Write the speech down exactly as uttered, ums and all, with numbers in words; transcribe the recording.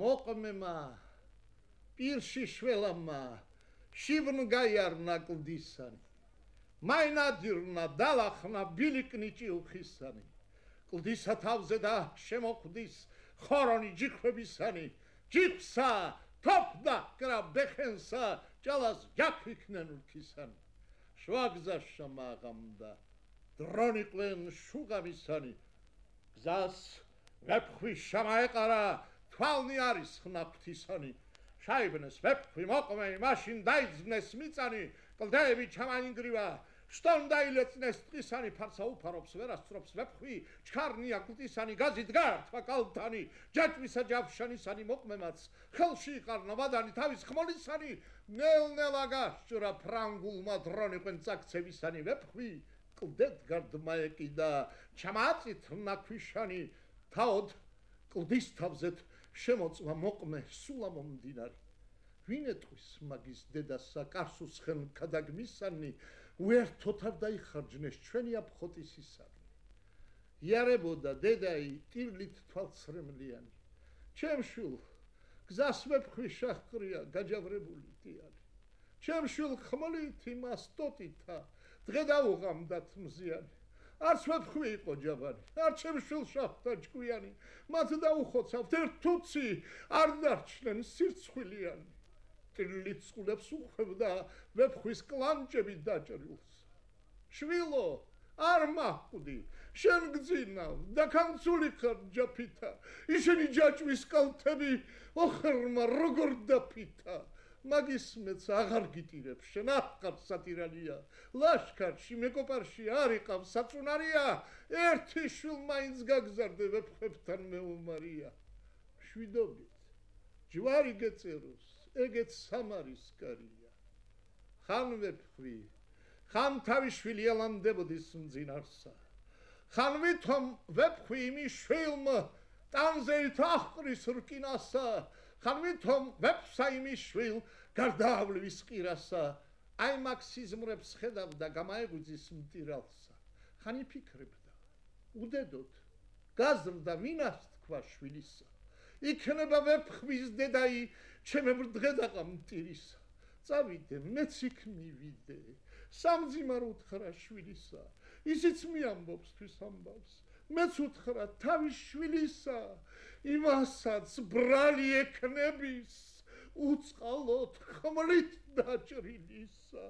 მოყმემა პირში შველამა შივნ გაიარნა კლდისანი მაინადირნა დალახნა ბილიკნიჭი უხისანი კლდისა თავზე და შემოხვდის ხორონი ჯიხვებისანი ჯიხვსა თოფდა კრა ბეხენსა ჭალას ჯაქვიქნენ ურქისანი შვაგზაშა მაღამდა დრონიყვენ შუღამისანი გზას ვეფხვი შამაეყარა თვალნი არის ხნაფთისანი შაიბნეს ვეფხვი მოყმე მაშინ დაიძვნეს მიწანი კლდეები ჩამაინგრივა შტონ დაილეწნეს ტყისანი ფარსა უფარობს ვერასწრობს ვეფხვი ჩქარნია კლდისანი გაზით გაართვა კალთანი ჯაჭვისა ჯავშანისანი მოყმემაც ხელში იყარნა ვადანი თავის ხმოლისანი ნელ-ნელა გასჭრა ფრანგულმა დრონიყვენ წაქცევისანი ვეფხვი კლდეთ გარდმა ეკიდა ჩამაწითრნა ქვიშანი თავოდ კლდის თავზეთ შემოწვა მოყმე სულა მომდინარი ვინ ეტყვის მაგის დედასა კარსუს ხელ ქადაგმისანი უერთოდ არ დაიხარჯნეს ჩვენი აფხოტისისანი იარებოდა დედაი ტირლით თვალცრემლიანი ჩემშვილ გზას ვეფხვი შაჰყრია გაჯავრებული დიარი ჩემშვილ ხმლით იმას ტოტითა დღე დაუღამდათ მზიანი არც ვეფხვი იყო ჯაბარი არ ჩემშვილ შაჰთა ჭკვიანი მათ დაუხოცავთ ერთ თუცი არ დარჩნენ სირცხვილიანი ტირლით წყლებს უხვევდა ვეფხვის კლანჭები დაჭრილს შვილო არ მახვდი შენ გძინავ და კანცული ხარ ჯაფითა ისინი ჯაჭვის კალთები ოხერმა როგორ დაფითა მაგის მეც აღარ გიტირებ შენ აღარ სატირალია ლაშქარში მეკოპარში არ იყავ საწუნარია ერთი შვილ მაინც გაგზარდე ვეფხვებთან მეომარია შვიდობით ჯვარი გეწეროს ეგეც სამარისკარია ხან ვეფხვი ხან თავი შვილი ელამდებოდის მძინარსა ხან ვითომ ვეფხვი იმი შვილმა ტანზეით აჰყრის რკინასა ხან ვითომ ვეფსა იმი შვილ გარდაავლის ყირასა აი მაქსიზმრებს ხედავდა გამაეგვიძის მტირალსა ხან იფიქრებდა უდედოდ გაზრდა ვინას თქვა შვილისა იქნება ვეფხვის დედაი ჩემებრ დღედაღა მტირისა წავიდე მეც იქ მივიდე სამძიმარო უთხრა შვილისა ისიც მიამბობს თვის ამბავს მეც უთხრა თავის შვილისა იმასაც ბრალი ეკნების უწყალოდ ხმლით დაჭრილისა